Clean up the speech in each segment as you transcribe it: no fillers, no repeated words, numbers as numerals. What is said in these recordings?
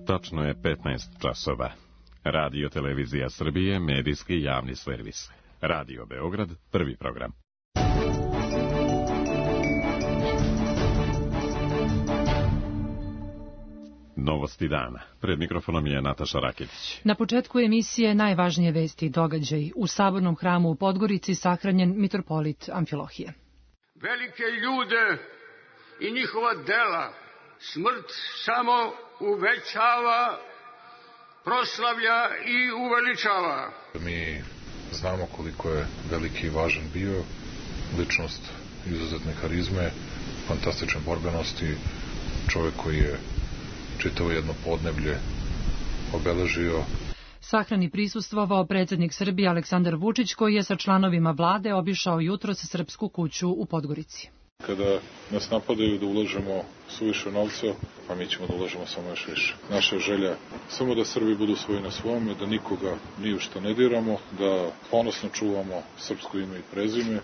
Tačno je 15 časova. Radio Televizija Srbije, medijski javni servis. Radio Beograd, prvi program. Novosti dana. Pred mikrofonom je Nataša Raketić. Na početku emisije najvažnije vesti i događaj. U Sabornom hramu u Podgorici sahranjen mitropolit Amfilohije. Velike ljude i njihova dela smrt samo uvećava, proslavlja i uveličava. Mi znamo koliko je veliki i važan bio, ličnost izuzetne harizme, fantastične borbenosti, čovjek koji je čitavo jedno podneblje obeležio. Sahrani prisustvovao predsjednik Srbije Aleksandar Vučić, koji je sa članovima vlade obišao jutros Srpsku kuću u Podgorici. Kada nas napadaju da ulažemo suviše novca, a mi ćemo da ulažemo samo još više. Naša želja samo da Srbi budu svoji na svome, da nikoga ni u što ne diramo, da ponosno čuvamo srpsko ime i prezime.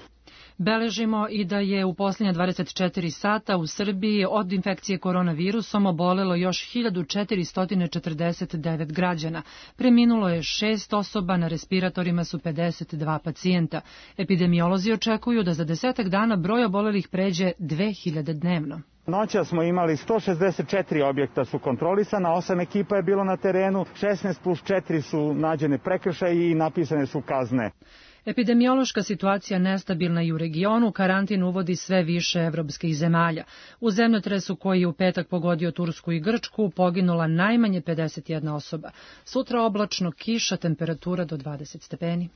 Beležimo i da je u posljednja 24 sata u Srbiji od infekcije koronavirusom obolelo još 1449 građana. Preminulo je 6 osoba, na respiratorima su 52 pacijenta. Epidemiolozi očekuju da za 10 dana broj obolelih pređe 2000 dnevno. Noća smo imali 164 objekta su kontrolisana, 8 ekipa je bilo na terenu, 16 plus 4 su nađene prekršaji i napisane su kazne. Epidemiološka situacija nestabilna i u regionu, karantin uvodi sve više evropskih zemalja. U zemljotresu koji je u petak pogodio Tursku i Grčku poginula najmanje 51 osoba. Sutra oblačno, kiša, temperatura do 20 stepeni.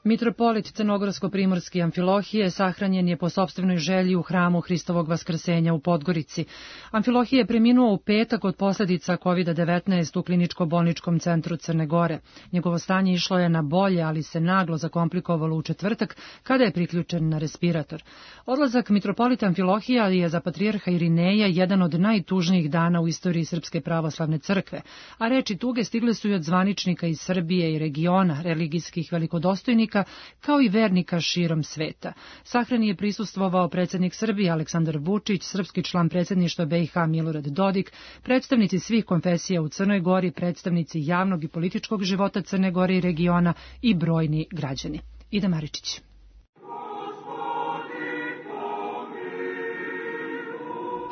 Mitropolit Crnogorsko-primorski Amfilohije sahranjen je po sopstvenoj želji u hramu Hristovog vaskrsenja u Podgorici. Amfilohije je preminuo u petak od posljedica COVID-19 u kliničko-bolničkom centru Crne Gore. Njegovo stanje išlo je na bolje, ali se naglo zakomplikovalo u četvrtak kada je priključen na respirator. Odlazak mitropolita Amfilohija je za patrijarha Irineja jedan od najtužnijih dana u istoriji Srpske pravoslavne crkve, a reči tuge stigle su i od zvaničnika iz Srbije i regiona, religijskih velikodostojnika, kao i vernika širom sveta. Sahrani je prisustvovao predsjednik Srbije Aleksandar Vučić, srpski član predsjedništva BiH Milorad Dodik, predstavnici svih konfesija u Crnoj Gori, predstavnici javnog i političkog života Crne Gore i regiona i brojni građani. Ida Maričić.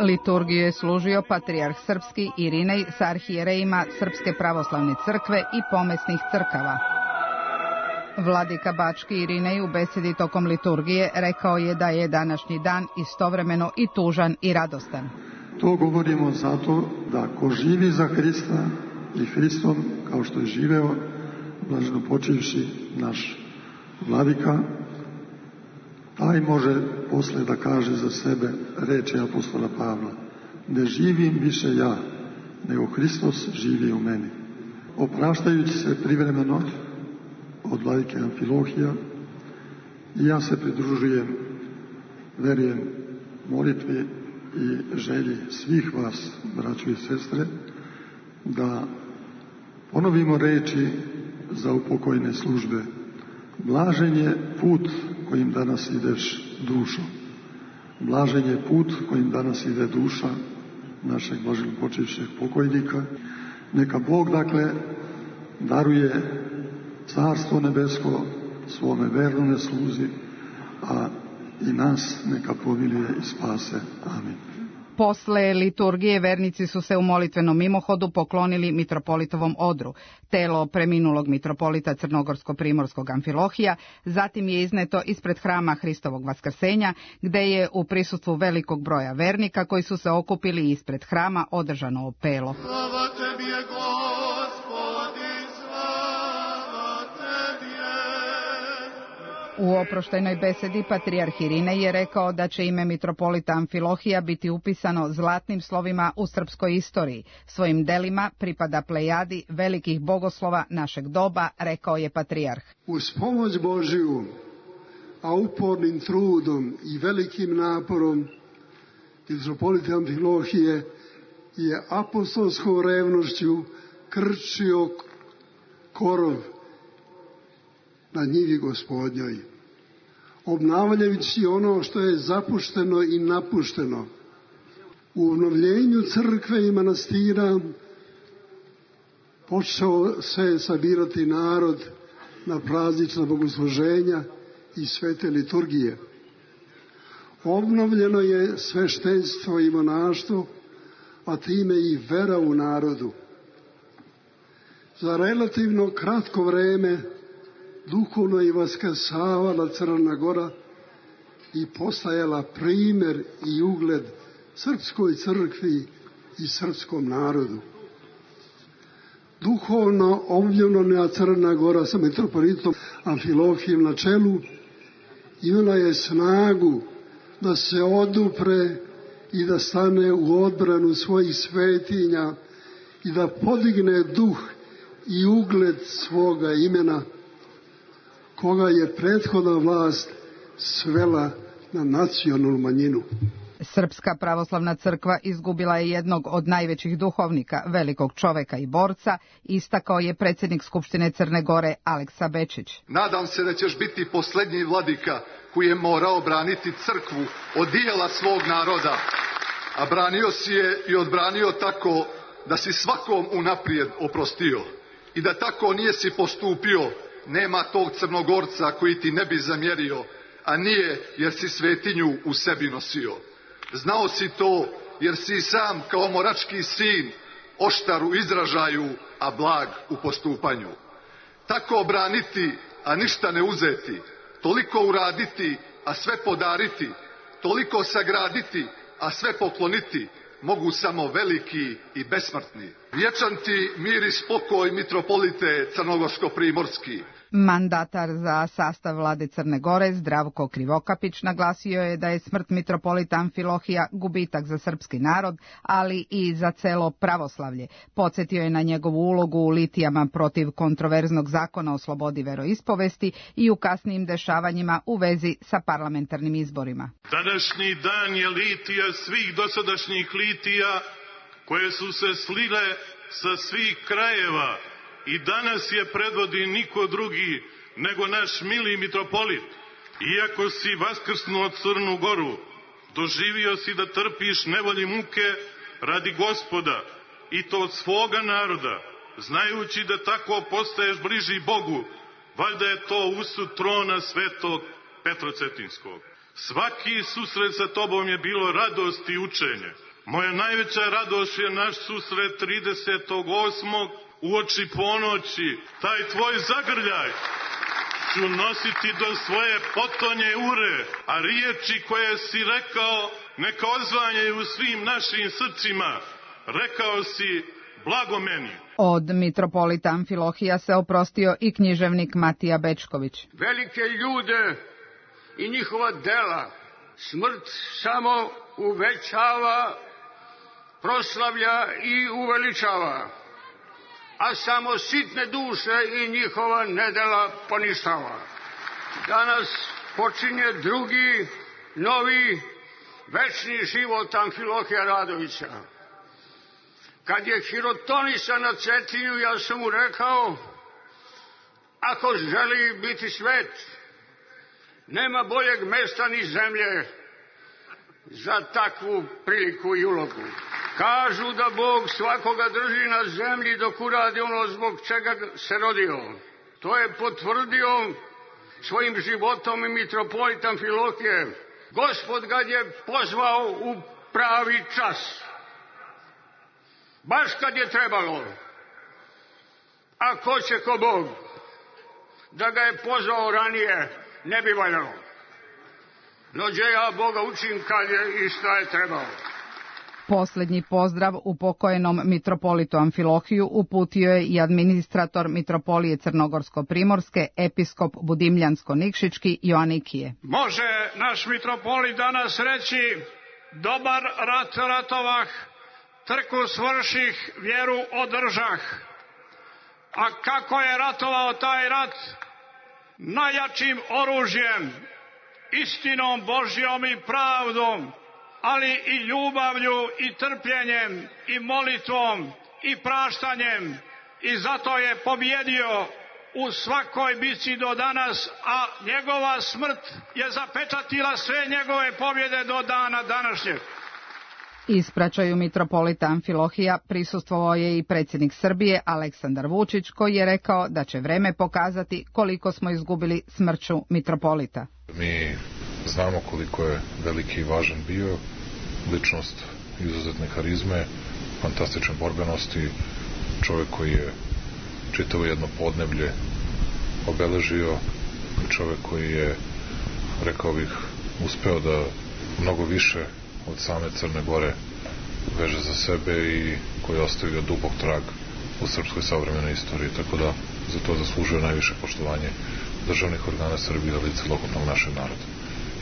Liturgiju je služio patrijarh srpski Irinej sa arhijerejima Srpske pravoslavne crkve i pomesnih crkava. Vladika Bački Irinej u besedi tokom liturgije rekao je da je današnji dan istovremeno i tužan i radostan. To govorimo zato da ko živi za Hrista i Hristom, kao što je živeo, blaženo počivši naš vladika, taj može posle da kaže za sebe reči apostola Pavla: ne živim više ja, nego Hristos živi u meni. Opraštajući se privremeno od vladike Amfilohija, i ja se pridružujem, verujem, molitvi i želji svih vas, braćo i sestre, da ponovimo reči za upokojne službe. Blažen je put kojim danas ideš, dušo. Blažen je put kojim danas ide duša našeg blaženo počivšeg pokojnika. Neka Bog, dakle, daruje Carstvo nebesko svome vernome sluzi, a i nas neka pomiluje i spase. Amin. Posle liturgije vernici su se u molitvenom mimohodu poklonili mitropolitovom odru. Telo preminulog mitropolita Crnogorsko-primorskog Amfilohija zatim je izneto ispred hrama Hristovog vaskrsenja, gde je u prisustvu velikog broja vernika koji su se okupili ispred hrama održano opelo. Slava tebi je, U oproštajnoj besedi patrijarh Irinej je rekao da će ime mitropolita Amfilohija biti upisano zlatnim slovima u srpskoj istoriji. Svojim delima pripada plejadi velikih bogoslova našeg doba, rekao je patrijarh. Uz pomoć Božiju, a upornim trudom i velikim naporom, mitropolita Amfilohije je apostolskom revnošću krčio korov na njivi Gospodnjoj, obnavljajući ono što je zapušteno i napušteno, U obnovljenju crkve i manastira počeo se sabirati narod na praznična bogosluženja i svete liturgije. Obnovljeno je sveštenstvo i monaštvo, a time i vera u narodu. Za relativno kratko vreme duhovno je vaskrsavala Crna Gora i postajala primer i ugled srpskoj crkvi i srpskom narodu. Duhovno obnovljena Crna Gora sa mitropolitom Amfilohijem na čelu imala je snagu da se odupre i da stane u odbranu svojih svetinja i da podigne duh i ugled svoga imena, koga je prethodna vlast svela na nacionalnu manjinu. Srpska pravoslavna crkva izgubila je jednog od najvećih duhovnika, velikog čoveka i borca, istakao je predsjednik Skupštine Crne Gore Aleksa Bečić. Nadam se da ćeš biti posljednji vladika koji je morao braniti crkvu od dijela svog naroda, a branio si je i odbranio tako da si svakom unaprijed oprostio. I da tako nije si postupio, nema tog Crnogorca koji ti ne bi zamjerio, a nije jer si svetinju u sebi nosio. Znao si to jer si sam kao morački sin, oštar u izražaju, a blag u postupanju. Tako braniti, a ništa ne uzeti, toliko uraditi, a sve podariti, toliko sagraditi, a sve pokloniti, mogu samo veliki i besmrtni. Vječan ti mir i spokoj, mitropolite Crnogorsko-primorski. Mandatar za sastav vlade Crne Gore Zdravko Krivokapić naglasio je da je smrt mitropolita Amfilohija gubitak za srpski narod, ali i za celo pravoslavlje. Podsjetio je na njegovu ulogu u litijama protiv kontroverznog zakona o slobodi veroispovesti i u kasnijim dešavanjima u vezi sa parlamentarnim izborima. Današnji dan je litija svih dosadašnjih litija koje su se slile sa svih krajeva. I danas je predvodi niko drugi nego naš mili mitropolit. Iako si vaskrsnuo Crnu Goru, doživio si da trpiš nevolji muke radi Gospoda, i to od svoga naroda, znajući da tako postaješ bliži Bogu, valjda je to usud trona svetog Petrocetinskog. Svaki susret sa tobom je bilo radost i učenje. Moja najveća radost je naš susret 38. uoči ponoći. Taj tvoj zagrljaj ću nositi do svoje potonje ure, a riječi koje si rekao neka odzvanjaju u svim našim srcima. Rekao si blago meni. Od mitropolita Amfilohija se oprostio i književnik Matija Bečković. Velike ljude i njihova dela smrt samo uvećava, proslavlja i uveličava, a samo sitne duše i njihova nedela poništava. Danas počinje drugi, novi, večni život Amfilohija Radovića. Kad je hirotonisa na Cetinju, ja sam mu rekao, ako želi biti svet, nema boljeg mesta ni zemlje za takvu priliku i ulogu. Kažu da Bog svakoga drži na zemlji dok uradi ono zbog čega se rodio. To je potvrdio svojim životom i mitropolit Amfilohije. Gospod ga je pozvao u pravi čas. Baš kad je trebalo. A ko će ko Bog? Da ga je pozvao ranije, ne bi valjalo. No gdje ja Boga učim kad je i šta je trebalo. Posljednji pozdrav upokojenom mitropolitu Amfilohiju uputio je i administrator mitropolije Crnogorsko-primorske, episkop Budimljansko-Nikšićki Joanikije. Može naš mitropolit danas reći, dobar rat ratovah, trku svrših, vjeru održah. A kako je ratovao taj rat? Najjačim oružjem, istinom Božjom i pravdom, ali i ljubavlju i trpljenjem i molitvom i praštanjem, i zato je pobjedio u svakoj bitci do danas, a njegova smrt je zapečatila sve njegove pobjede do dana današnjeg. Ispraćaju mitropolita Amfilohija prisustvovao je i predsjednik Srbije Aleksandar Vučić, koji je rekao da će vreme pokazati koliko smo izgubili smrću mitropolita. Mi znamo koliko je veliki i važan bio, ličnost izuzetne harizme, fantastične borbenosti, čovjek koji je čitavo jedno podneblje obeležio, čovjek koji je, rekao bih, uspeo da mnogo više od same Crne Gore veže za sebe i koji je ostavio dubok trag u srpskoj savremenoj istoriji, tako da za to zaslužuje najviše poštovanje državnih organa Srbije, ali i celokupnog našeg naroda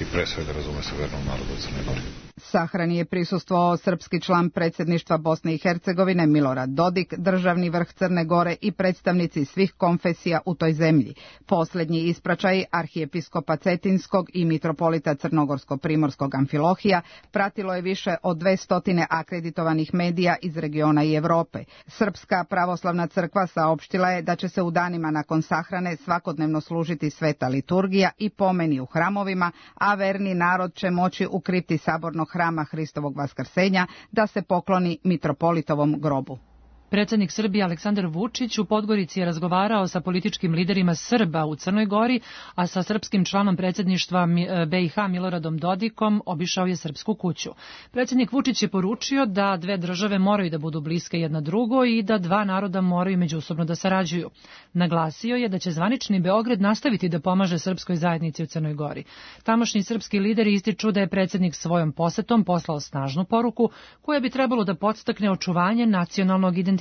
i pre svega, razume se, vernog naroda u Crnoj Gori. Sahrani je prisustvovao srpski član predsjedništva Bosne i Hercegovine Milorad Dodik, državni vrh Crne Gore i predstavnici svih konfesija u toj zemlji. Posljednji ispraćaj arhijepiskopa Cetinskog i mitropolita Crnogorsko-primorskog Amfilohija pratilo je više od 200 akreditovanih medija iz regiona i Evrope. Srpska pravoslavna crkva saopštila je da će se u danima nakon sahrane svakodnevno služiti sveta liturgija i pomeni u hramovima, a verni narod će moći u kripti sabornog hrama Hristovog Vaskrsenja da se pokloni mitropolitovom grobu. Predsjednik Srbije Aleksandar Vučić u Podgorici je razgovarao sa političkim liderima Srba u Crnoj Gori, a sa srpskim članom predsjedništva BiH Miloradom Dodikom obišao je Srpsku kuću. Predsjednik Vučić je poručio da dve države moraju da budu bliske jedna drugoj i da dva naroda moraju međusobno da sarađuju. Naglasio je da će zvanični Beograd nastaviti da pomaže srpskoj zajednici u Crnoj Gori. Tamošnji srpski lideri ističu da je predsjednik svojom posetom poslao snažnu poruku koja bi trebalo da podstakne očuvanje nacionalnog identiteta.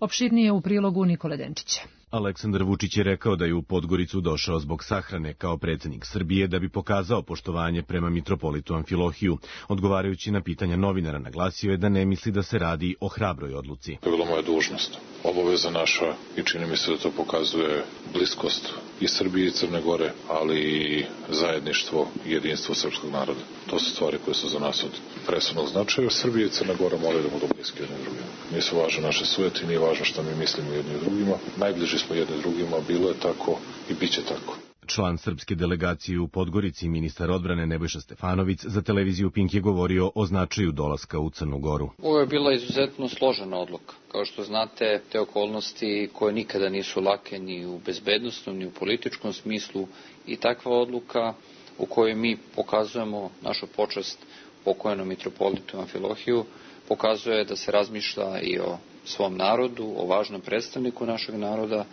Opširnije u prilogu Nikole Denčića. Aleksandar Vučić je rekao da je u Podgoricu došao zbog sahrane kao predsjednik Srbije da bi pokazao poštovanje prema mitropolitu Amfilohiju. Odgovarajući na pitanja novinara, naglasio je da ne misli da se radi o hrabroj odluci. To je bila moja dužnost, obaveza naša i čini mi se da to pokazuje bliskost i Srbije i Crne Gore, ali i zajedništvo i jedinstvo srpskog naroda. To su stvari koje su za nas od presudnog značaja. Srbije i Crna Gora moraju da budu bliski jedni drugima. Nisu važne naše sujeti, nije važno šta mi mislimo jedni drugima. Najbliži smo jedni drugima, bilo je tako i bit će tako. Član srpske delegacije u Podgorici, ministar odbrane Nebojša Stefanović, za televiziju Pink je govorio o značaju dolaska u Crnu Goru. Ovo je bila izuzetno složena odluka. Kao što znate, te okolnosti koje nikada nisu lake ni u bezbednosnom, ni u političkom smislu, i takva odluka u kojoj mi pokazujemo našu počast pokojnom mitropolitu Amfilohiju, pokazuje da se razmišlja i o svom narodu, o važnom predstavniku našeg naroda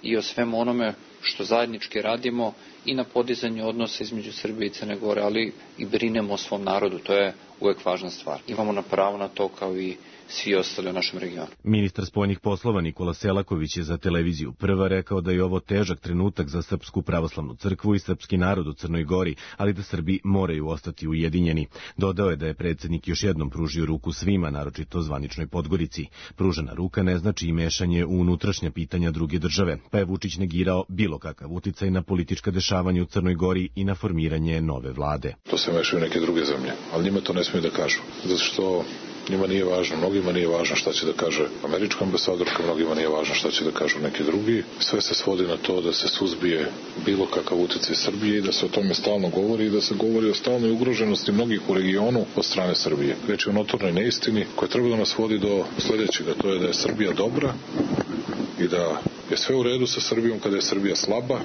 i o svemu onome što zajednički radimo i na podizanju odnosa između Srbije i Crne Gore, ali i brinemo o svom narodu. To je uvek važna stvar. Imamo na pravo na to kao i svi ostali u našem regionu. Ministar spoljnih poslova Nikola Selaković je za televiziju Prva rekao da je ovo težak trenutak za Srpsku pravoslavnu crkvu i srpski narod u Crnoj Gori, ali da Srbi moraju ostati ujedinjeni. Dodao je da je predsjednik još jednom pružio ruku svima, naročito zvaničnoj Podgorici. Pružena ruka ne znači i mešanje u unutrašnja pitanja druge države, pa je Vučić negirao bilo kakav uticaj na politička dešavanja u Crnoj Gori i na formiranje nove vlade. To se mešaju neke druge zemlje, ali njima to ne smiju da kažu, zato što njima nije važno, mnogima nije važno šta će da kaže američka ambasadorka, mnogima nije važno šta će da kažu neki drugi. Sve se svodi na to da se suzbije bilo kakav uticaj Srbije i da se o tome stalno govori i da se govori o stalnoj ugroženosti mnogih u regionu od strane Srbije. Reč je o notornoj neistini koja treba da nas vodi do sljedećega, to je da je Srbija dobra i da je sve u redu sa Srbijom kada je Srbija slaba,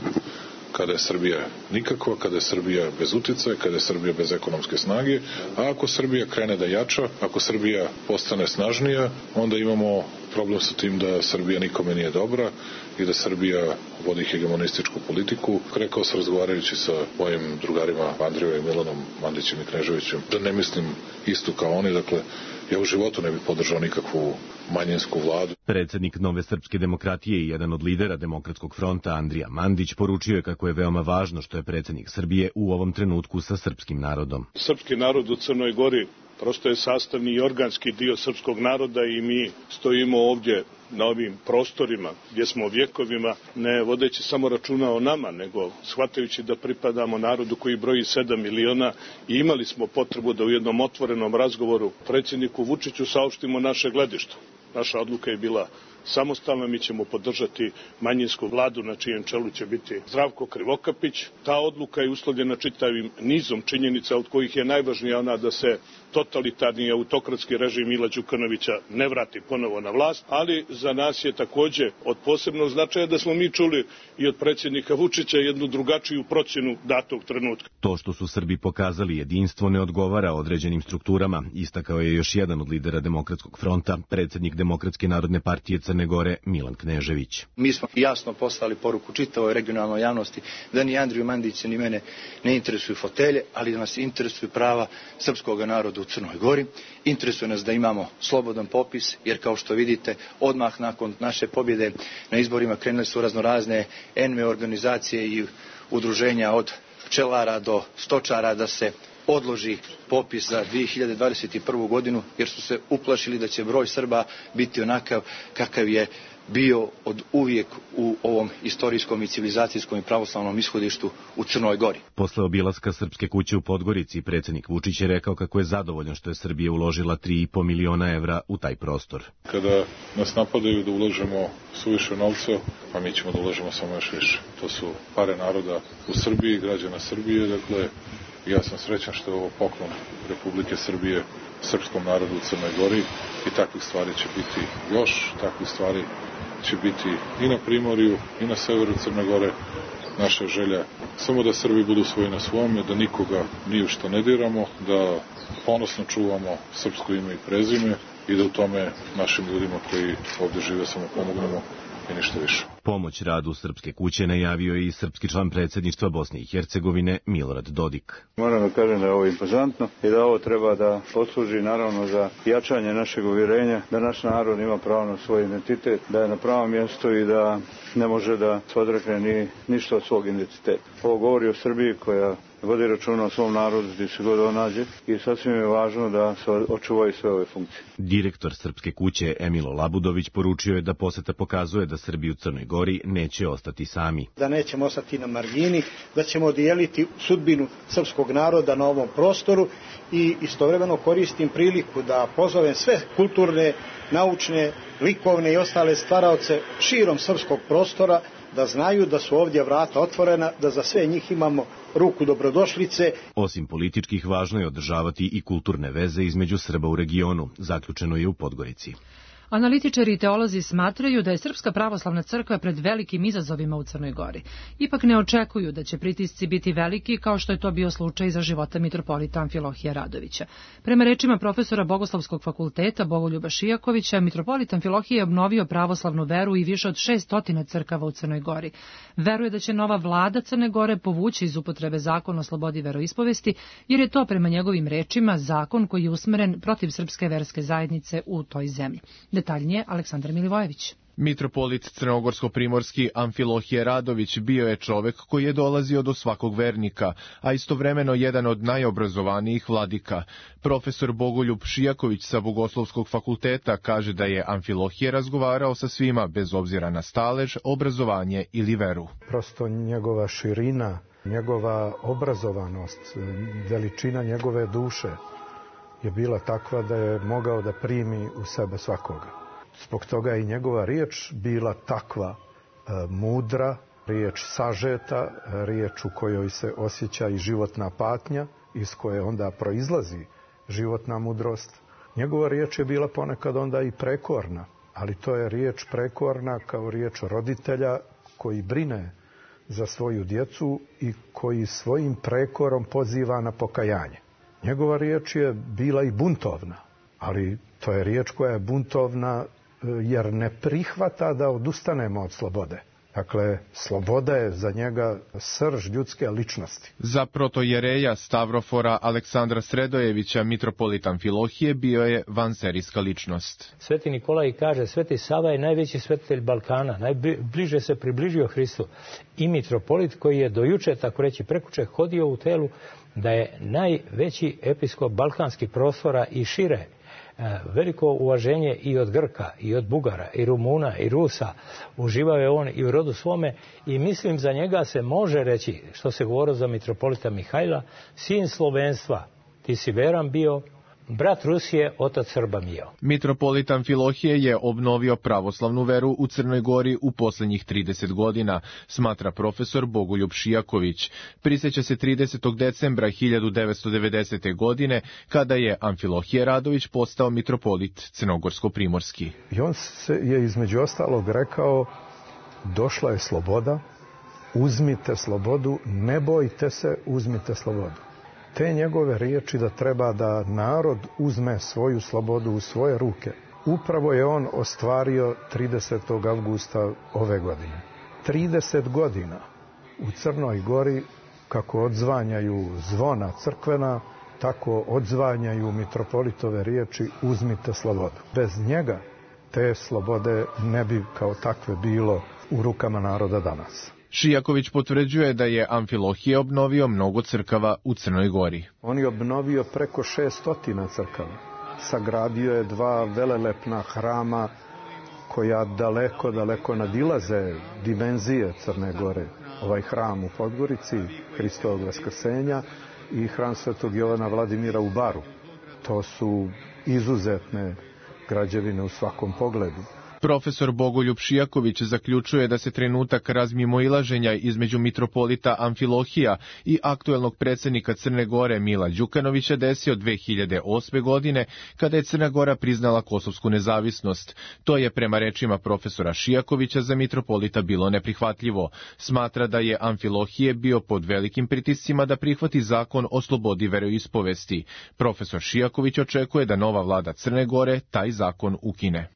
kada je Srbija nikakva, kada je Srbija bez uticaja, kada je Srbija bez ekonomske snage, a ako Srbija krene da jača, ako Srbija postane snažnija, onda imamo problem sa tim da Srbija nikome nije dobra i da Srbija vodi hegemonističku politiku. Rekao sam razgovarajući sa mojim drugarima Andrijom i Milanom Mandićem i Kneževićem da ne mislim isto kao oni, dakle ja u životu ne bih podržao nikakvu manjinsku vladu. Predsjednik Nove srpske demokratije i jedan od lidera Demokratskog fronta Andrija Mandić poručio je kako je veoma važno što je predsjednik Srbije u ovom trenutku sa srpskim narodom. Srpski narod u Crnoj Gori prosto je sastavni i organski dio srpskog naroda i mi stojimo ovdje na ovim prostorima gdje smo vjekovima, ne vodeći samo računa o nama, nego shvatajući da pripadamo narodu koji broji 7 miliona i imali smo potrebu da u jednom otvorenom razgovoru predsjedniku Vučiću saopštimo naše gledište. Naša odluka je bila samostalna. Mi ćemo podržati manjinsku vladu na čijem čelu će biti Zdravko Krivokapić. Ta odluka je uslovljena čitavim nizom činjenica, od kojih je najvažnija ona da se totalitarni autokratski režim Mila Đukanovića ne vrati ponovo na vlast, ali za nas je takođe od posebnog značaja da smo mi čuli i od predsjednika Vučića jednu drugačiju procjenu datog trenutka. To što su Srbi pokazali jedinstvo ne odgovara određenim strukturama, istakao je još jedan od lidera Demokratskog fronta, predsjednik Demokratske narodne partije Crne Gore Milan Knežević. Mi smo jasno poslali poruku čitavoj regionalnoj javnosti da ni Andriju Mandića ni mene ne interesuju fotelje, ali da nas interesuju prava srpskog naroda u Crnoj Gori. Interesuje nas da imamo slobodan popis, jer kao što vidite, odmah nakon naše pobjede na izborima krenule su raznorazne NMO organizacije i udruženja od pčelara do stočara da se odloži popis za 2021. godinu, jer su se uplašili da će broj Srba biti onakav kakav je bio od uvijek u ovom istorijskom i civilizacijskom i pravoslavnom ishodištu u Crnoj Gori. Posle obilaska Srpske kuće u Podgorici, predsjednik Vučić je rekao kako je zadovoljan što je Srbija uložila 3,5 miliona evra u taj prostor. Kada nas napadaju da ulažemo suviše novca, a mi ćemo da ulažemo samo još više. To su pare naroda u Srbiji, građana Srbije, dakle ja sam srećan što je ovo poklon Republike Srbije srpskom narodu u Crnoj Gori i takvih stvari će biti još, takvih stvari će biti i na Primorju i na severu Crne Gore. Naša želja samo da Srbi budu svoji na svome, da nikoga ni u što ne diramo, da ponosno čuvamo srpsko ime i prezime i da u tome našim ljudima koji ovdje žive samo pomognemo i ništa više. Pomoć radu Srpske kuće najavio je i srpski član predsjedništva Bosne i Hercegovine Milorad Dodik. Moram da kažem da je ovo impozantno i da ovo treba da posluži naravno za jačanje našeg uvjerenja da naš narod ima pravo na svoj identitet, da je na pravom mjestu i da ne može da se odrekne ni ništa od svog identiteta. Ovo govori o Srbiji koja vodi računa o svom narodu gdje se god on nađe i sasvim je važno da se očuvaju sve ove funkcije. Direktor Srpske kuće Emilo Labudović poručio je da poseta pokazuje da Srbi u Crnoj Gori neće ostati sami. Da nećemo ostati na margini, da ćemo dijeliti sudbinu srpskog naroda na ovom prostoru i istovremeno koristim priliku da pozovem sve kulturne, naučne, likovne i ostale stvaraoce širom srpskog prostora da znaju da su ovdje vrata otvorena, da za sve njih imamo ruku dobrodošlice. Osim političkih, važno je održavati i kulturne veze između Srba u regionu, zaključeno je u Podgorici. Analitičari i teolozi smatraju da je Srpska pravoslavna crkva pred velikim izazovima u Crnoj Gori. Ipak ne očekuju da će pritisci biti veliki kao što je to bio slučaj za života mitropolita Amfilohija Radovića. Prema rečima profesora Bogoslovskog fakulteta Bogoljuba Šijakovića, mitropolit Amfilohije je obnovio pravoslavnu veru i više od 600 crkava u Crnoj Gori. Veruje da će nova vlada Crne Gore povući iz upotrebe zakon o slobodi veroispovesti, jer je to prema njegovim rečima zakon koji je usmeren protiv srpske verske zajednice u toj zemlji. Detaljnije Aleksandar Milivojević. Mitropolit Crnogorsko-primorski Amfilohije Radović bio je čovek koji je dolazio do svakog vernika, a istovremeno jedan od najobrazovanijih vladika. Profesor Bogoljub Šijaković sa Bogoslovskog fakulteta kaže da je Amfilohije razgovarao sa svima bez obzira na stalež, obrazovanje ili veru. Prosto njegova širina, njegova obrazovanost, veličina njegove duše je bila takva da je mogao da primi u sebe svakoga. Zbog toga je i njegova riječ bila takva mudra, riječ sažeta, riječ u kojoj se osjeća i životna patnja, iz koje onda proizlazi životna mudrost. Njegova riječ je bila ponekad onda i prekorna, ali to je riječ prekorna kao riječ roditelja koji brine za svoju djecu i koji svojim prekorom poziva na pokajanje. Njegova riječ je bila i buntovna, ali to je riječ koja je buntovna jer ne prihvata da odustanemo od slobode. Dakle, sloboda je za njega srž ljudske ličnosti. Za protojereja Stavrofora Aleksandra Sredojevića, mitropolit Amfilohije, bio je vanserijska ličnost. Sveti Nikolaj kaže, Sveti Sava je najveći svetitelj Balkana, najbliže se približio Hristu. I mitropolit koji je dojuče, tako reći prekuče, hodio u telu da je najveći episkop balkanskih prostora i šire. Veliko uvaženje i od Grka, i od Bugara, i Rumuna, i Rusa. Uživao je on i u rodu svome i mislim za njega se može reći, što se govorilo za mitropolita Mihajla, sin slovenstva. Ti si veran bio brat Rusije, otac Srba mio. Mitropolit Amfilohije je obnovio pravoslavnu veru u Crnoj Gori u poslednjih 30 godina, smatra profesor Bogoljub Šijaković. Prisjeća se 30. decembra 1990. godine, kada je Amfilohije Radović postao mitropolit crnogorsko-primorski. I on je između ostalog rekao, došla je sloboda, uzmite slobodu, ne bojte se, uzmite slobodu. Te njegove riječi da treba da narod uzme svoju slobodu u svoje ruke, upravo je on ostvario 30. avgusta ove godine. 30 godina u Crnoj Gori, kako odzvanjaju zvona crkvena, tako odzvanjaju mitropolitove riječi uzmite slobodu. Bez njega te slobode ne bi kao takve bilo u rukama naroda danas. Šijaković potvrđuje da je Amfilohije obnovio mnogo crkava u Crnoj Gori. On je obnovio preko 600 crkava. Sagradio je 2 velelepna hrama koja daleko nadilaze dimenzije Crne Gore. Ovaj hram u Podgorici, Hristovog vaskrsenja, i hram Svetog Jovana Vladimira u Baru. To su izuzetne građevine u svakom pogledu. Profesor Bogoljub Šijaković zaključuje da se trenutak razmimoilaženja između mitropolita Amfilohija i aktuelnog predsjednika Crne Gore Mila Đukanovića desio 2008. godine, kada je Crna Gora priznala kosovsku nezavisnost. To je, prema rečima profesora Šijakovića, za mitropolita bilo neprihvatljivo. Smatra da je Amfilohije bio pod velikim pritiscima da prihvati zakon o slobodi veroispovesti. Profesor Šijaković očekuje da nova vlada Crne Gore taj zakon ukine.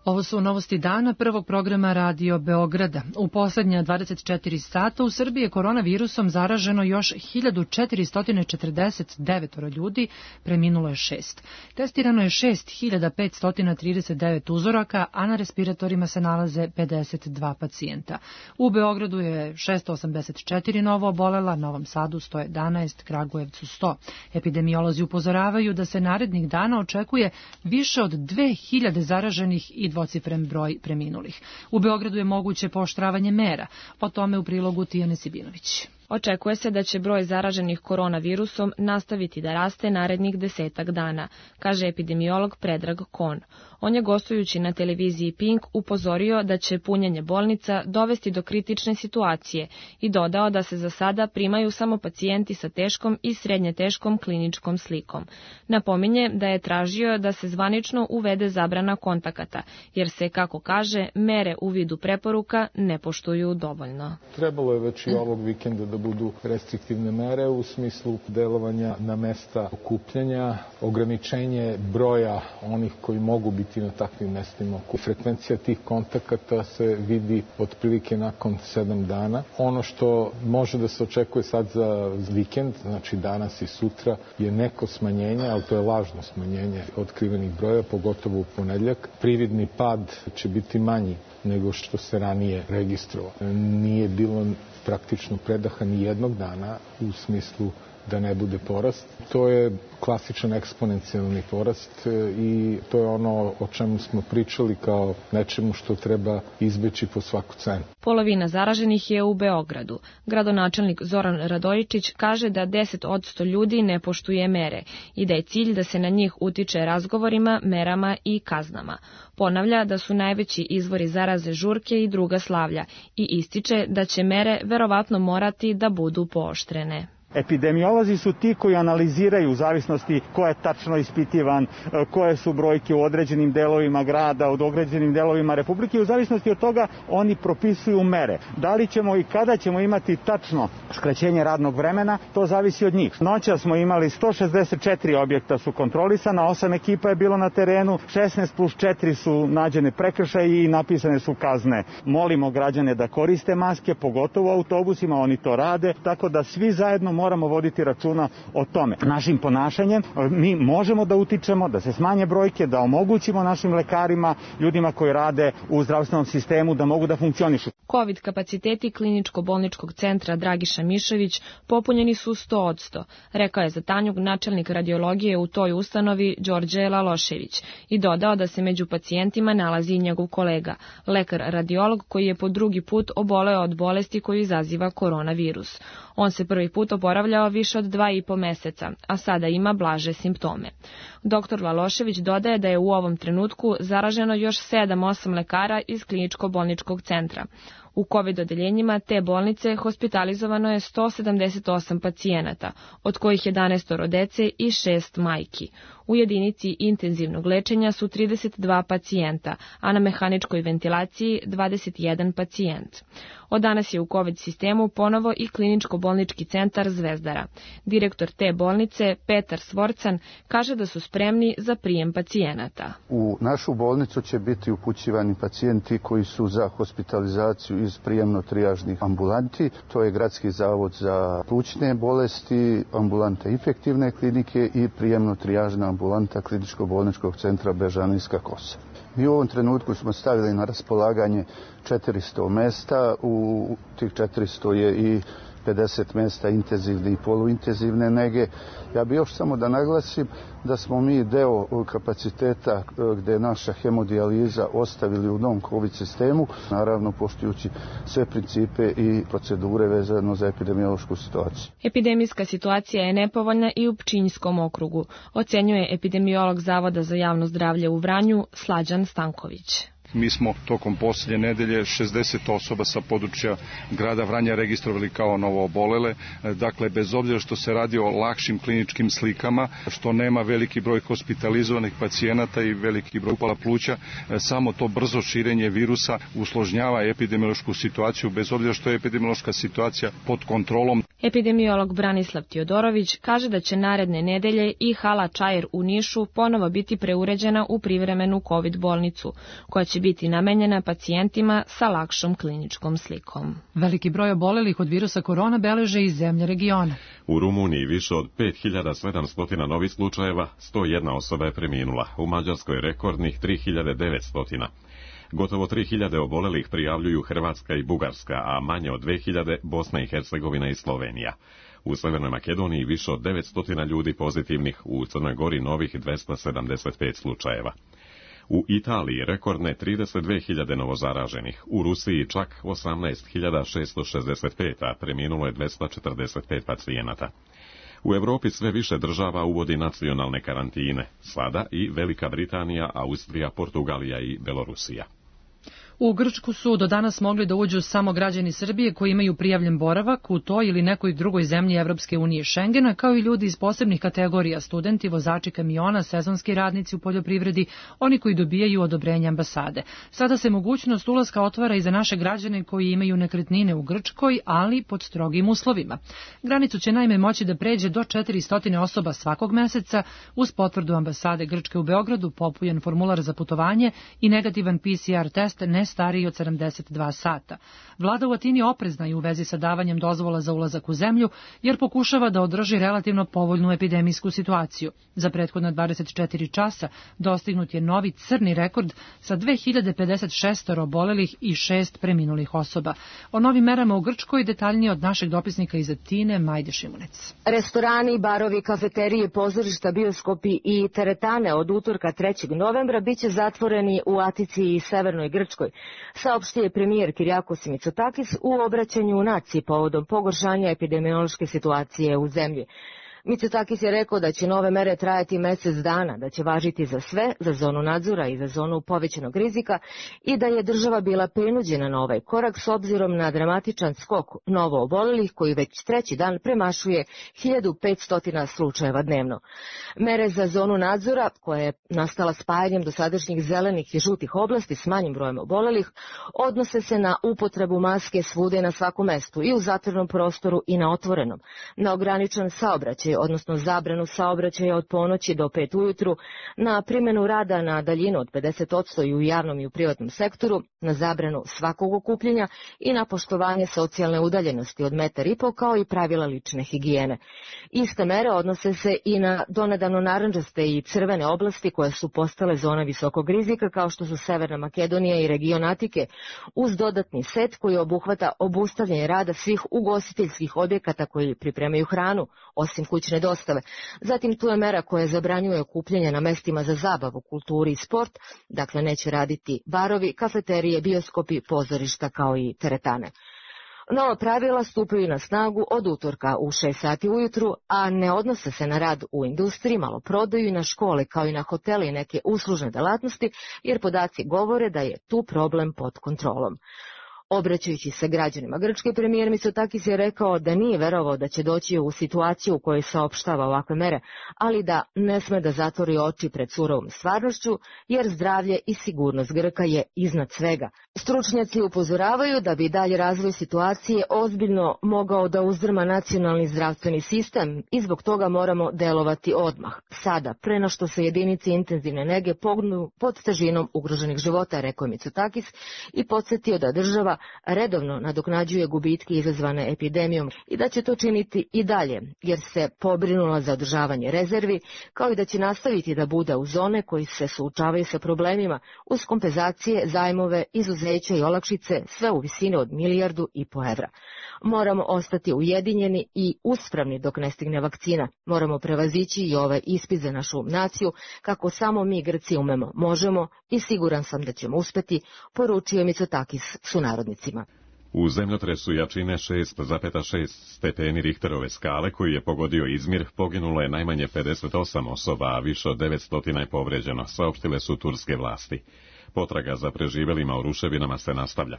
Ovo su novosti dana prvog programa Radio Beograda. U poslednja 24 sata u Srbiji je koronavirusom zaraženo još 1449 ljudi, preminulo je 6. Testirano je 6539 uzoraka, a na respiratorima se nalaze 52 pacijenta. U Beogradu je 684 novo obolela, Novom Sadu 111, Kragujevcu 100. Epidemiolozi upozoravaju da se narednih dana očekuje više od 2000 zaraženih i dvocifren broj preminulih. U Beogradu je moguće pooštravanje mera. O tome u prilogu Tijane Sibinović. Očekuje se da će broj zaraženih koronavirusom nastaviti da raste narednih 10 dana, kaže epidemiolog Predrag Kon. On je, gostujući na televiziji Pink, upozorio da će punjenje bolnica dovesti do kritične situacije i dodao da se za sada primaju samo pacijenti sa teškom i srednje teškom kliničkom slikom. Napominje da je tražio da se zvanično uvede zabrana kontakata, jer se, kako kaže, mere u vidu preporuka ne poštuju dovoljno. Trebalo je već i ovog vikenda da budu restriktivne mere u smislu delovanja na mesta okupljanja, ograničenje broja onih koji mogu biti na takvim mestima. Frekvencija tih kontakata se vidi otprilike nakon 7 dana. Ono što može da se očekuje sad za vikend, znači danas i sutra, je neko smanjenje, ali to je lažno smanjenje otkrivenih broja, pogotovo u ponedeljak. Prividni pad će biti manji nego što se ranije registrovalo. Nije bilo praktično predaha ni jednog dana u smislu da ne bude porast. To je klasičan eksponencijalni porast i to je ono o čemu smo pričali kao nečemu što treba izbeći po svaku cenu. Polovina zaraženih je u Beogradu. Gradonačelnik Zoran Radojičić kaže da 10% ljudi ne poštuje mere i da je cilj da se na njih utiče razgovorima, merama i kaznama. Ponavlja da su najveći izvori zaraze žurke i druga slavlja i ističe da će mere verovatno morati da budu pooštrene. Epidemiolozi su ti koji analiziraju u zavisnosti ko je tačno ispitivan, koje su brojke u određenim delovima grada, od određenim delovima Republike i u zavisnosti od toga oni propisuju mere. Da li ćemo i kada ćemo imati tačno skraćenje radnog vremena, to zavisi od njih. Noća smo imali 164 objekta su kontrolisana, 8 ekipa je bilo na terenu, 16+4 su nađene prekršaji i napisane su kazne. Molimo građane da koriste maske, pogotovo u autobusima, oni to rade, tako da svi zajedno moramo voditi računa o tome. Našim ponašanjem mi možemo da utičemo, da se smanje brojke, da omogućimo našim lekarima, ljudima koji rade u zdravstvenom sistemu da mogu da funkcionišu. Covid kapaciteti kliničko-bolničkog centra Dragiša Mišević popunjeni su 100%, rekao je za Tanjug načelnik radiologije u toj ustanovi Đorđe Lalošević i dodao da se među pacijentima nalazi i njegov kolega, lekar radiolog koji je po drugi put oboleo od bolesti koju izaziva koronavirus. On se prvi put oborio oporavljao više od 2,5 meseca, a sada ima blaže simptome. Dr. Lalošević dodaje da je u ovom trenutku zaraženo još 7-8 lekara iz kliničko-bolničkog centra. U COVID odeljenjima te bolnice hospitalizovano je 178 pacijenata, od kojih 11 dece i 6 majki. U jedinici intenzivnog lečenja su 32 pacijenta, a na mehaničkoj ventilaciji 21 pacijent. Od danas je u COVID sistemu ponovo i kliničko-bolnički centar Zvezdara. Direktor te bolnice, Petar Svorcan, kaže da su spremni za prijem pacijenata. U našu bolnicu će biti upućivani pacijenti koji su za hospitalizaciju iz prijemno-trijažnih ambulanti. To je Gradski zavod za plućne bolesti, ambulanta infektivne klinike i prijemno-trijažna ambulanta kliničko-bolničkog centra Bežanijska Kosa. Mi u ovom trenutku smo stavili na raspolaganje 400 mesta, u tih 400 je i 50 mesta intenzivne i poluintenzivne nege. Ja bih još samo da naglasim da smo mi deo kapaciteta gde je naša hemodijaliza ostavili u novom COVID sistemu, naravno poštujući sve principe i procedure vezano za epidemiološku situaciju. Epidemijska situacija je nepovoljna i u Pčinjskom okrugu, ocenjuje epidemiolog Zavoda za javno zdravlje u Vranju Slađan Stanković. Mi smo tokom posljednje nedelje 60 osoba sa područja grada Vranja registrovali kao novo obolele. Dakle, bez obzira što se radi o lakšim kliničkim slikama, što nema veliki broj hospitalizovanih pacijenata i veliki broj upala pluća, samo to brzo širenje virusa usložnjava epidemiološku situaciju, bez obzira što je epidemiološka situacija pod kontrolom. Epidemiolog Branislav Tijodorović kaže da će naredne nedelje i hala Čair u Nišu ponovo biti preuređena u privremenu COVID bolnicu, koja će biti namenjena pacijentima sa lakšom kliničkom slikom. Veliki broj obolelih od virusa korona beleže i zemlje regiona. U Rumuniji više od 5700 novih slučajeva, 101 osoba je preminula, u Mađarskoj rekordnih 3900. Gotovo 3000 obolelih prijavljuju Hrvatska i Bugarska, a manje od 2000 Bosna i Hercegovina i Slovenija. U Severnoj Makedoniji više od 900 ljudi pozitivnih, u Crnoj Gori novih 275 slučajeva. U Italiji rekordne 32.000 novozaraženih, u Rusiji čak 18.665, a preminulo je 245 pacijenata. U Evropi sve više država uvodi nacionalne karantine, sada i Velika Britanija, Austrija, Portugalija i Belorusija. U Grčku su do danas mogli da uđu samo građani Srbije koji imaju prijavljen boravak u toj ili nekoj drugoj zemlji Evropske unije Šengena, kao i ljudi iz posebnih kategorija, studenti, vozači kamiona, sezonski radnici u poljoprivredi, oni koji dobijaju odobrenje ambasade. Sada se mogućnost ulaska otvara i za naše građane koji imaju nekretnine u Grčkoj, ali pod strogim uslovima. Granicu će naime moći da pređe do 400 osoba svakog meseca uz potvrdu ambasade Grčke u Beogradu, popunjen formular za putovanje i negativan PCR test ne stariji od 72 sata. Vlada u Atini oprezna je u vezi sa davanjem dozvola za ulazak u zemlju, jer pokušava da održi relativno povoljnu epidemijsku situaciju. Za prethodna 24 časa dostignut je novi crni rekord sa 2056 obolelih i 6 preminulih osoba. O novim merama u Grčkoj detaljnije od našeg dopisnika iz Atine, Majde Šimunec. Restorani, barovi, kafeterije, pozorišta, bioskopi i teretane od utorka 3. novembra biće zatvoreni u Atici i Severnoj Grčkoj, saopštio je premijer Kyriakos Mitsotakis u obraćanju naciji povodom pogoršanja epidemiološke situacije u zemlji. Mitsotakis je rekao da će nove mere trajati mesec dana, da će važiti za sve, za zonu nadzora i za zonu povećanog rizika i da je država bila prinuđena na ovaj korak s obzirom na dramatičan skok novo obolelih koji već treći dan premašuje 1500 slučajeva dnevno. Mere za zonu nadzora, koja je nastala spajanjem dosadašnjih zelenih i žutih oblasti s manjim brojem obolelih, odnose se na upotrebu maske svude na svakom mestu, i u zatvorenom prostoru i na otvorenom, na ograničen saobraćaj, odnosno zabranu saobraćaja od ponoći do 5 ujutru, na primjenu rada na daljinu od 50% i u javnom i u privatnom sektoru, na zabranu svakog okupljenja i na poštovanje socijalne udaljenosti od 1,5 metra kao i pravila lične higijene. Iste mere odnose se i na donedavno narandžaste i crvene oblasti koje su postale zona visokog rizika, kao što su Severna Makedonija i region Atike, uz dodatni set koji obuhvata obustavljanje rada svih ugostiteljskih objekata koji pripremaju hranu, osim kućne dostave. Zatim tu je mera koja zabranjuje okupljanje na mestima za zabavu, kulturi i sport, dakle neće raditi barovi, kafeterije, bioskopi, pozorišta kao i teretane. Nova pravila stupaju na snagu od utorka u 6 sati ujutru, a ne odnose se na rad u industriji, maloprodaju i na škole, kao i na hotele i neke uslužne delatnosti, jer podaci govore da je tu problem pod kontrolom. Obraćajući se građanima Grčke, premijer Mitsotakis je rekao da nije verovao da će doći u situaciju u kojoj saopštava ovakve mere, ali da ne sme da zatvori oči pred surovom stvarnošću, jer zdravlje i sigurnost Grka je iznad svega. Stručnjaci upozoravaju da bi dalje razvoj situacije ozbiljno mogao da uzdrma nacionalni zdravstveni sistem i zbog toga moramo delovati odmah. Sada, pre no što se jedinice intenzivne nege pognu pod težinom ugroženih života, rekao je Mitsotakis i podsjetio da država redovno nadoknađuje gubitke izazvane epidemijom i da će to činiti i dalje, jer se pobrinula za održavanje rezervi, kao i da će nastaviti da bude u zone koji se suočavaju sa problemima uz kompenzacije, zajmove, izuzeća i olakšice, sve u visini od 1,5 milijardu evra. Moramo ostati ujedinjeni i uspravni dok ne stigne vakcina. Moramo prevazići i ovaj ispit za našu naciju, kako samo mi Grci umemo, možemo i siguran sam da ćemo uspeti, poručio Mitsotakis sunarodnicima. U zemljotresu jačine 6,6 stepeni Richterove skale, koji je pogodio Izmir, poginulo je najmanje 58 osoba, a više od 900 je povređeno, saopštile su turske vlasti. Potraga za preživelima u ruševinama se nastavlja.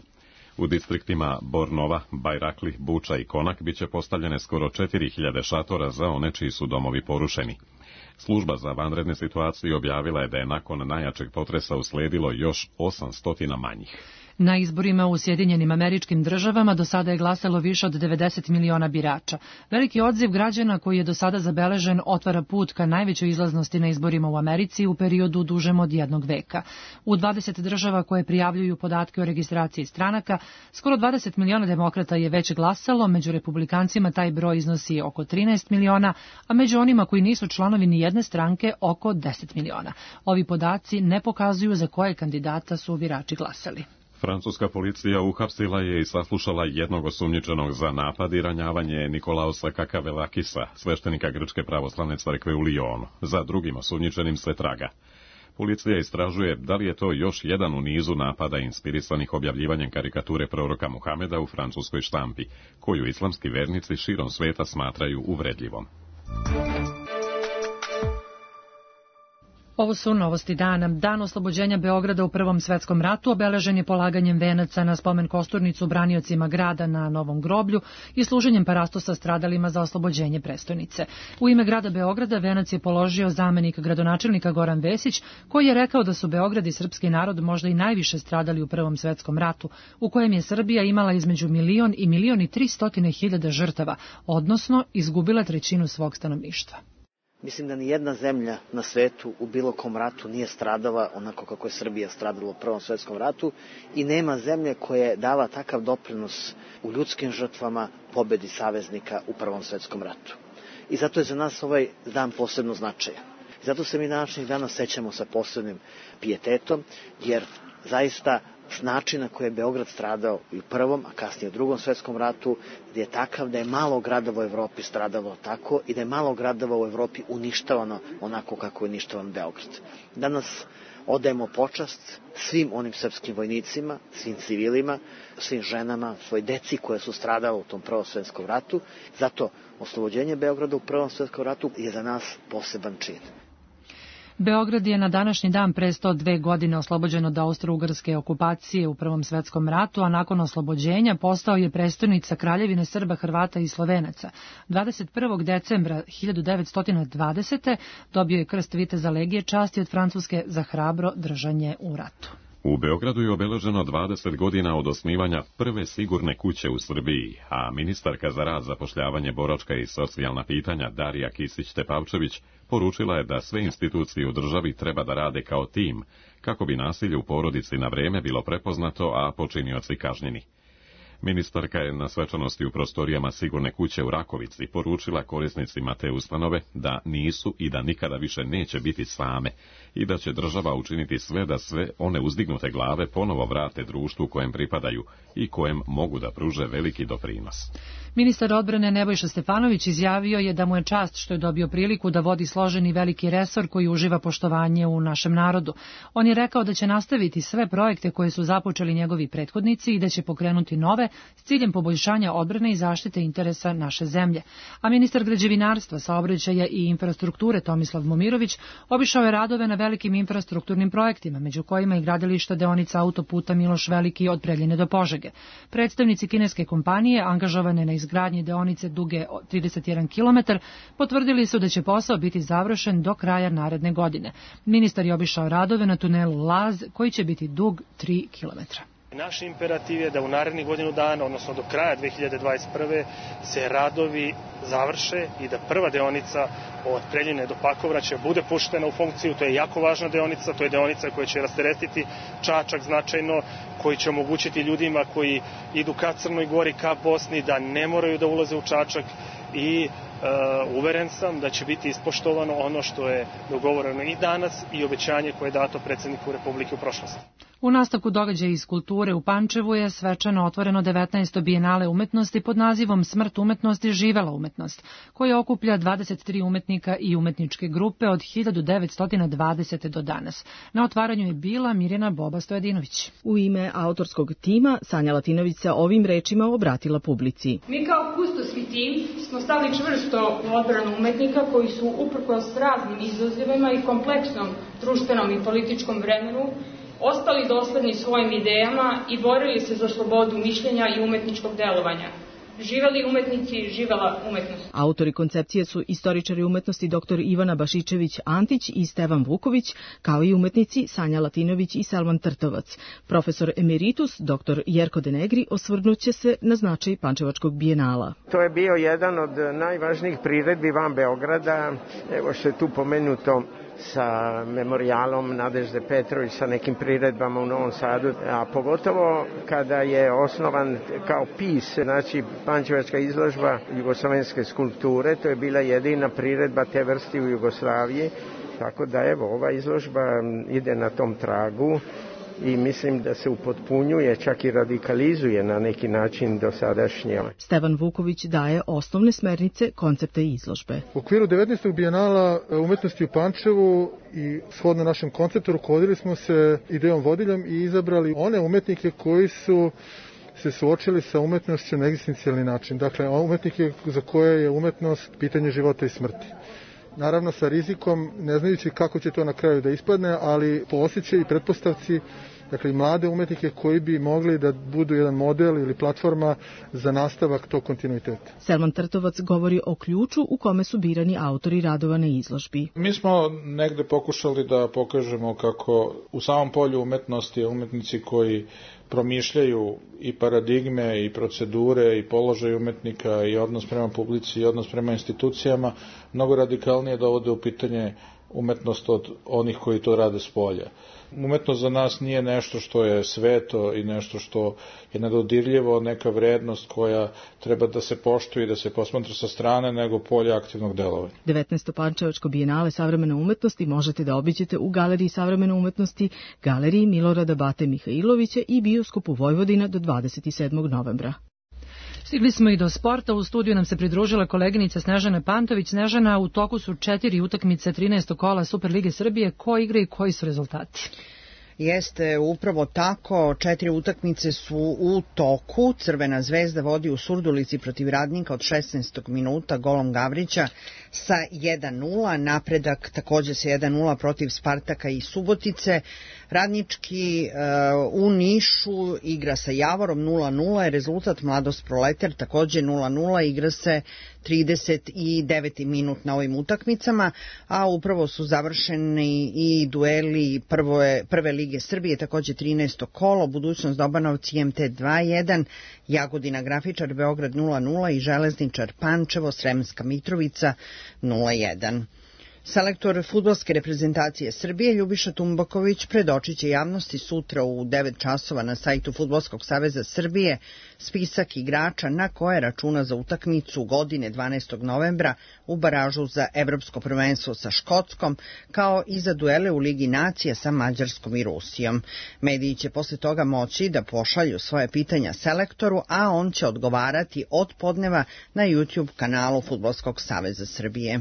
U distriktima Bornova, Bajrakli, Buča i Konak biće postavljene skoro 4000 šatora za one čiji su domovi porušeni. Služba za vanredne situacije objavila je da je nakon najjačeg potresa usledilo još 800 manjih. Na izborima u Sjedinjenim Američkim Državama do sada je glasalo više od 90 miliona birača. Veliki odziv građana koji je do sada zabeležen otvara put ka najvećoj izlaznosti na izborima u Americi u periodu dužem od 1 veka. U 20 država koje prijavljuju podatke o registraciji stranaka, skoro 20 miliona demokrata je već glasalo, među republikancima taj broj iznosi oko 13 miliona, a među onima koji nisu članovi ni jedne stranke oko 10 miliona. Ovi podaci ne pokazuju za koje kandidata su birači glasali. Francuska policija uhapsila je i saslušala jednog osumnjičenog za napad i ranjavanje Nikolausa Kakavelakisa, sveštenika Grčke pravoslavne crkve u Lyonu. Za drugim osumnjičenim se traga. Policija istražuje da li je to još jedan u nizu napada inspirisanih objavljivanjem karikature proroka Muhameda u francuskoj štampi, koju islamski vernici širom sveta smatraju uvredljivom. Ovo su novosti dana. Dan oslobođenja Beograda u Prvom svetskom ratu obeležen je polaganjem venaca na spomen kosturnicu braniocima grada na Novom groblju i služenjem parastosa stradalima za oslobođenje prestonice. U ime grada Beograda venac je položio zamenik gradonačelnika Goran Vesić, koji je rekao da su Beograd i srpski narod možda i najviše stradali u Prvom svetskom ratu, u kojem je Srbija imala između 1 i 1.300.000 žrtava, odnosno izgubila trećinu svog stanovništva. Mislim da ni jedna zemlja na svetu u bilo kom ratu nije stradala onako kako je Srbija stradala u Prvom svetskom ratu i nema zemlje koja je dala takav doprinos u ljudskim žrtvama pobedi saveznika u Prvom svetskom ratu. I zato je za nas ovaj dan posebno značajan. Zato se mi današnjih dana sećamo sa posebnim pijetetom, jer zaista način na koji je Beograd stradao i u Prvom, a kasnije u Drugom svetskom ratu, je takav da je malo gradova u Evropi stradalo tako i da je malo gradova u Evropi uništavano onako kako je uništavan Beograd. Danas odajemo počast svim onim srpskim vojnicima, svim civilima, svim ženama, svoj deci koje su stradale u tom Prvom svetskom ratu. Zato oslobođenje Beograda u Prvom svetskom ratu je za nas poseban čin. Beograd je na današnji dan pre 102 godine oslobođen od austro-ugarske okupacije u Prvom svetskom ratu, a nakon oslobođenja postao je prestonica Kraljevine Srba, Hrvata i Slovenaca. 21. decembra 1920. dobio je krst viteza legije časti od Francuske za hrabro držanje u ratu. U Beogradu je obeleženo 20 godina od osnivanja prve sigurne kuće u Srbiji, a ministarka za rad, zapošljavanje, boračka i socijalna pitanja Darija Kisić-Tepavčević poručila je da sve institucije u državi treba da rade kao tim, kako bi nasilje u porodici na vreme bilo prepoznato, a počinioci kažnjeni. Ministarka je na svečanosti u prostorijama sigurne kuće u Rakovici poručila korisnicima te ustanove da nisu i da nikada više neće biti same i da će država učiniti sve da sve one uzdignute glave ponovo vrate društvu kojem pripadaju i kojem mogu da pruže veliki doprinos. Ministar odbrane Nebojša Stefanović izjavio je da mu je čast što je dobio priliku da vodi složeni veliki resor koji uživa poštovanje u našem narodu. On je rekao da će nastaviti sve projekte koje su započeli njegovi prethodnici i da će pokrenuti nove, sile s ciljem poboljšanja odbrane i zaštite interesa naše zemlje. A ministar građevinarstva, saobraćaja i infrastrukture Tomislav Momirović obišao je radove na velikim infrastrukturnim projektima, među kojima i gradilišta deonica autoputa Miloš Veliki od Preljine do Požege. Predstavnici kineske kompanije angažovane na izgradnji deonice duge 31 km potvrdili su da će posao biti završen do kraja naredne godine. Ministar je obišao radove na tunelu Laz koji će biti dug 3 km. Naš imperativ je da u narednih godinu dana, odnosno do kraja 2021. se radovi završe i da prva deonica od Preljine do Pakovraća bude puštena u funkciju. To je jako važna deonica, to je deonica koja će rasteretiti Čačak značajno, koji će omogućiti ljudima koji idu ka Crnoj Gori, ka Bosni, da ne moraju da ulaze u Čačak i uveren sam da će biti ispoštovano ono što je dogovoreno i danas i obećanje koje je dato predsjedniku Republike u prošlosti. U nastavku događaja iz kulture u Pančevu je svečano otvoreno 19. bijenale umetnosti pod nazivom Smrt umetnosti, živela umetnost, koja okuplja 23 umetnika i umetničke grupe od 1920. do danas. Na otvaranju je bila Mirjana Boba Stojadinović. U ime autorskog tima Sanja Latinović se ovim rečima obratila publici. Mi kao kustosni tim smo stali čvrsto u odbranu umetnika koji su uprkos raznim izazovima i kompleksnom društvenom i političkom vremenu ostali dosledni svojim idejama i borili se za slobodu mišljenja i umetničkog delovanja. Živeli umetnici, živela umetnost. Autori koncepcije su istoričari umetnosti dr. Ivana Bašičević-Antić i Stevan Vuković, kao i umetnici Sanja Latinović i Selman Trtovac. Profesor emeritus dr. Jerko Denegri osvrnuće se na značaj Pančevačkog bijenala. To je bio jedan od najvažnijih priredbi van Beograda. Evo što je tu pomenuto sa memorijalom Nadežde Petrović, sa nekim priredbama u Novom Sadu, a pogotovo kada je osnovan kao PIS, znači Pančevačka izložba jugoslovenske skulpture, to je bila jedina priredba te vrste u Jugoslaviji, tako da evo, ova izložba ide na tom tragu i mislim da se upotpunjuje, čak i radikalizuje na neki način dosadašnje. Stevan Vuković daje osnovne smernice koncepta izložbe. U okviru 19. bijenala umetnosti u Pančevu i shodno našem konceptu rukovodili smo se idejom vodiljem i izabrali one umetnike koji su se suočili sa umetnošću na egzistencijalni način. Dakle, umetnike za koje je umetnost pitanje života i smrti. Naravno sa rizikom, ne znajući kako će to na kraju da ispadne, ali po osjećaju i pretpostavci, dakle i mlade umetnike koji bi mogli da budu jedan model ili platforma za nastavak tog kontinuiteta. Selman Trtovac govori o ključu u kome su birani autori radova na izložbi. Mi smo negde pokušali da pokažemo kako u samom polju umetnosti umetnici koji promišljaju i paradigme i procedure i položaj umetnika i odnos prema publici i odnos prema institucijama mnogo radikalnije dovode u pitanje umetnost od onih koji to rade s polja. Umetnost za nas nije nešto što je sveto i nešto što je nedodirljivo, neka vrednost koja treba da se poštuje i da se posmatra sa strane, nego polje aktivnog delovanja. 19. Pančevačko bijenale savremene umetnosti možete da obiđete u Galeriji savremene umetnosti, Galeriji Milorada Bate Mihajlovića i Bioskopu Vojvodina do 27. novembra. Stigli smo i do sporta. U studiju nam se pridružila koleginica Snežana Pantović. Snežana, u toku su 4 utakmice 13. kola Superlige Srbije. Ko igra i koji su rezultati? Jeste, upravo tako, 4 utakmice su u toku. Crvena zvezda vodi u Surdulici protiv Radnika od 16. minuta golom Gavrića sa 1-0. Napredak također sa 1-0 protiv Spartaka i Subotice. Radnički u Nišu igra sa Javorom 0-0, rezultat Mladost Proletar također 0-0, igra se 39. minut na ovim utakmicama, a upravo su završeni i dueli prve lige Srbije, također 13. kolo, Budućnost Dobanovci IMT 2-1, Jagodina Grafičar Beograd 0-0 i Železničar Pančevo Sremska Mitrovica 0-1. Selektor fudbalske reprezentacije Srbije Ljubiša Tumbaković predočit će javnosti sutra u 9 časova na sajtu Fudbalskog saveza Srbije spisak igrača na koje računa za utakmicu godine 12. novembra u baražu za Evropsko prvenstvo sa Škotskom, kao i za duele u Ligi nacija sa Mađarskom i Rusijom. Mediji će posle toga moći da pošalju svoje pitanja selektoru, a on će odgovarati od podneva na YouTube kanalu Fudbalskog saveza Srbije.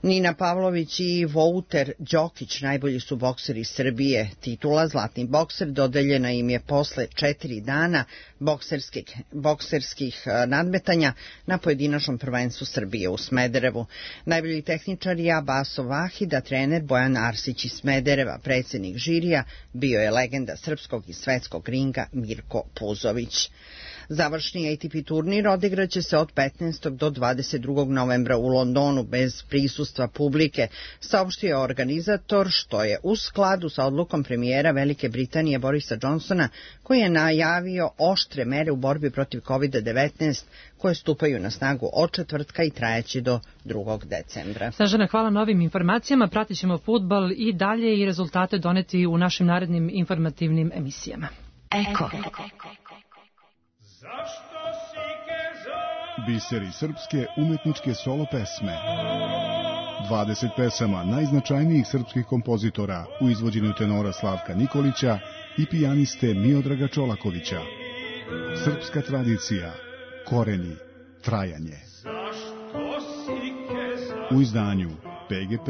Nina Pavlović i Vouter Đokić najbolji su bokseri Srbije. Titula Zlatni bokser dodeljena im je posle 4 dana bokserskih nadmetanja na pojedinačnom prvenstvu Srbije u Smederevu. Najbolji tehničar je Abaso Vahida, trener Bojan Arsić iz Smedereva. Predsednik žirija bio je legenda srpskog i svetskog ringa Mirko Puzović. Završni ATP turnir odigraće se od 15. do 22. novembra u Londonu bez prisustva publike, saopštio organizator, što je u skladu sa odlukom premijera Velike Britanije Borisa Johnsona, koji je najavio oštre mere u borbi protiv COVID-19 koje stupaju na snagu od četvrtka i trajeći do 2. decembra. Snežana, hvala na ovim informacijama. Pratit ćemo fudbal i dalje i rezultate doneti u našim narednim informativnim emisijama. Eko. Biseri srpske umetničke solo pesme. 20 pesama najznačajnijih srpskih kompozitora u izvođenju tenora Slavka Nikolića i pijaniste Miodraga Čolakovića. Srpska tradicija, koreni, trajanje. U izdanju PGP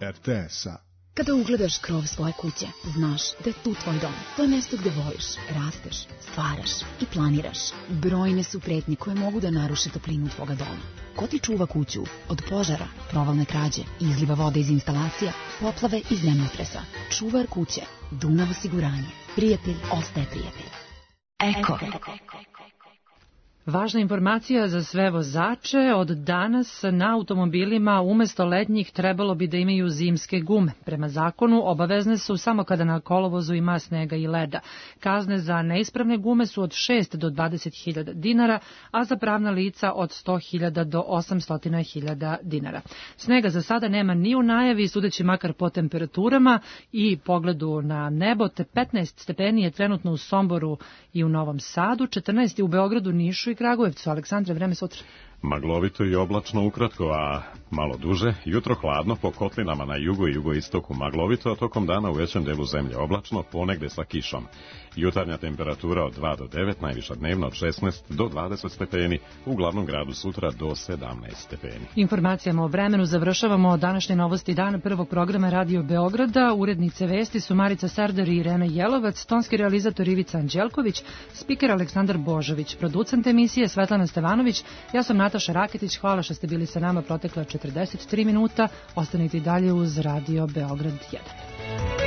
RTS-a. Kada ugledaš krov svoje kuće, znaš da je tu tvoj dom. To je mesto gde voliš, rasteš, stvaraš i planiraš. Brojne su pretnje koje mogu da naruše toplinu tvoga doma. Ko ti čuva kuću od požara, provalne krađe, izliva vode iz instalacija, poplave i zemljotresa? Čuvar kuće, Dunav osiguranje. Prijatelj ostaje prijatelj. Eko. Važna informacija za sve vozače, od danas na automobilima umesto letnjih trebalo bi da imaju zimske gume. Prema zakonu obavezne su samo kada na kolovozu ima snega i leda. Kazne za neispravne gume su od 6 do 20.000 dinara, a za pravna lica od 100.000 do 800.000 dinara. Snega za sada nema ni u najavi, sudeći makar po temperaturama i pogledu na nebo, te 15 stepeni je trenutno u Somboru i u Novom Sadu, 14 je u Beogradu, Nišu i Kragujevcu. Aleksandre, vreme sutra. Maglovito i oblačno ukratko, a malo duže. Jutro hladno po kotlinama na jugu i jugoistoku maglovito, a tokom dana u većem delu zemlje oblačno, ponegde sa kišom. Jutarnja temperatura od 2 do 9, najviša dnevna od 16 do 20 stepeni, u glavnom gradu sutra do 17 stepeni. Informacijama o vremenu završavamo današnje novosti dana prvog programa Radio Beograda. Urednice vesti su Marica Serdar i Irena Jelovac, tonski realizator Ivica Anđelković, spiker Aleksandar Božović, producent emisije Svetlana Stevanović, ja sam Nataša Raketić. Hvala što ste bili sa nama protekla 43 minuta. Ostanite i dalje uz Radio Beograd 1.